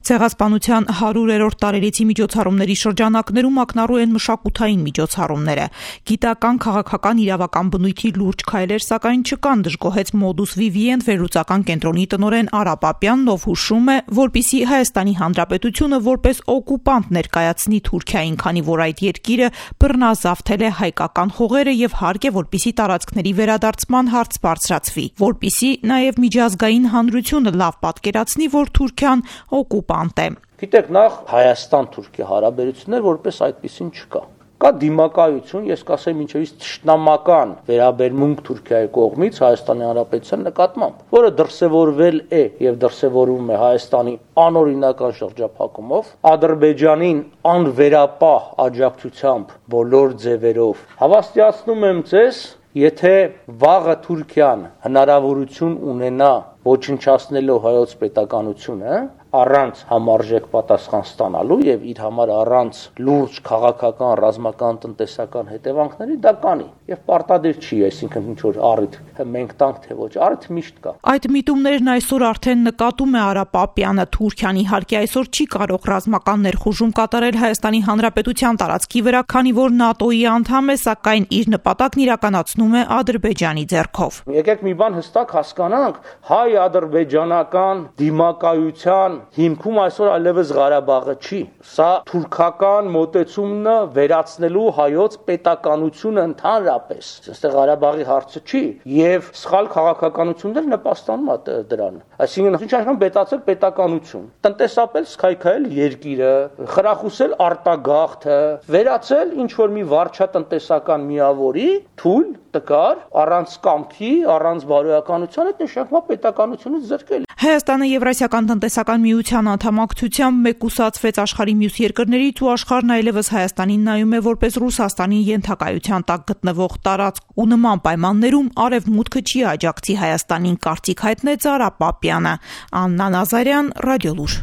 Ցեղասպանության 100-րդ տարելիցի միջոցառումների շրջանակներում ակնառու են մշակութային միջոցառումները։ Գիտական, քաղաքական, իրավական բնույթի լուրջ քայլեր սակայն չկան, դժգոհեց Modus Vivient վերլուծական կենտրոնի տնօրեն Արա Պապյանն, ով հուշում է, որպեսզի Հայաստանի Հանրապետությունը որպես օկուպանտ ներկայացնի Թուրքիային, քանի որ այդ երկիրը բռնազավթել է հայկական հողերը եւ հարկ է, որպեսզի տարածքների վերադարձման հարց բարձրացվի, որպեսզի նաեւ միջազգային հանրությունը լավ պատկերացնի, որ Թուրքիան օկուպանտ է։ Գիտեք, նախ Հայաստան-Թուրքիա հարաբերություններ որպես այդպեսին չկա։ Կա դիմակայություն, ես կասեմ մինչև թշնամական վերաբերմունք Թուրքիայի կողմից Հայաստանի Հանրապետության նկատմամբ, որը դրսևորվել է եւ դրսևորվում է Հայաստանի անօրինական շրջափակումով, Ադրբեջանին անվերապահ աջակցությամբ բոլոր ձևերով։ Հավաստիացնում եմ ձեզ, եթե վաղը Թուրքիան հնարավորություն ունենա ոչնչացնելով հայոց պետականությունը, առանց համարժեք պատասխան ստանալու եւ իր համար առանց լուրջ քաղաքական, ռազմական, տնտեսական հետևանքների դա կանի եւ պարտադիր չի, այսինքն ինչ որ առիթ մենք տանք թե ոչ, առիթ միշտ կա։ Այդ միտումներն այսօր արդեն նկատում է Արա Պապյանը։ Թուրքիան իհարկե այսօր չի կարող ռազմական ներխուժում կատարել Հայաստանի Հանրապետության տարածքի վրա, քանի որ ՆԱՏՕ-ի անդամ է, սակայն իր նպատակն իրականացնում է Ադրբեջանի ձեռքով։ Եկեք մի բան հստակ հասկանանք, հայ-ադրբեջանական դիմակայության հիմքում այսօր այլևս Ղարաբաղը չի։ Սա թուրքական մոտեցումն վերացնելու հայոց պետականությունը ընդհանրապես։ Այստեղ Ղարաբաղի հարցը չի եւ սխալ քաղաքականություններ նպաստանում է դրան։ Այսինքն ինչ այսքան բետացել պետականություն, տնտեսապես քայքայել երկիրը, խրախուսել արտագաղթը, վերացել ինչ որ մի վարչատնտեսական միավորի թույլ տկար, առանց կամքի, առանց բարոյականության այդ նշանակում պետականությունից զրկել։ Հայաստանը Եվրասիական տնտեսական միության անդամակցությամբ մեկուսացվեց աշխարհի մյուս երկրներից ու աշխարհն այլևս Հայաստանին նայում է որպես Ռուսաստանի ենթակայության տակ գտնվող տարածք ու նման պայմաններում արևմուտքը չի աջակցի Հայաստանին, կարծիք հայտնեց Արա Պապյանը։ Աննա Նազարյան, Ռադիոլուր։